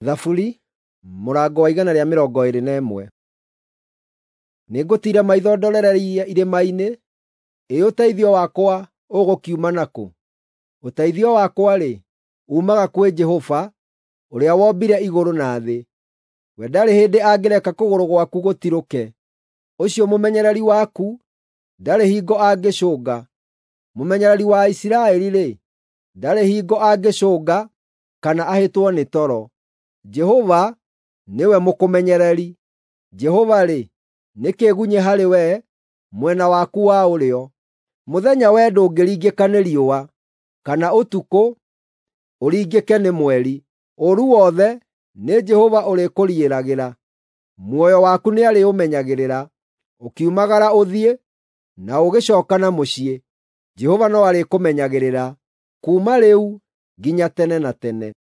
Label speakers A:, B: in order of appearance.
A: Thaburi mũrango wa 121. Nĩngũtiira maitho ndorereirie irĩma-inĩ, ĩ ũteithio wakwa ũgũkiuma nakũ? Ũteithio wakwa-rĩ, uumaga kwĩ Jehova, ũrĩa wombire igũrũ na thĩ. We ndarĩ hĩndĩ angĩreka kũgũrũ gwaku gũtirũke, ũcio mũmenyereri waku ndarĩ hingo angĩcũnga. Mũmenyereri wa Isiraeli-rĩ, ndarĩ hingo angĩcũnga kana ahĩtwo nĩ toro. Jehova nĩwe mũkũmenyereri. Jehova-rĩ, nĩ kĩĩgunyĩ harĩ we mwena waku wa ũrĩo. Mũthenya wee ndũngĩringĩka nĩ riũa, kana ũtukũ ũringĩke nĩ mweri. Ũũru wothe nĩ Jehova ũrĩkũriĩragĩra, muoyo waku nĩarĩũmenyagĩrĩra. Ũkiumagara ũthiĩ, na ũgĩcooka na mũciĩ, Jehova no arĩkũmenyagĩrĩra kuuma rĩu nginya tene na tene.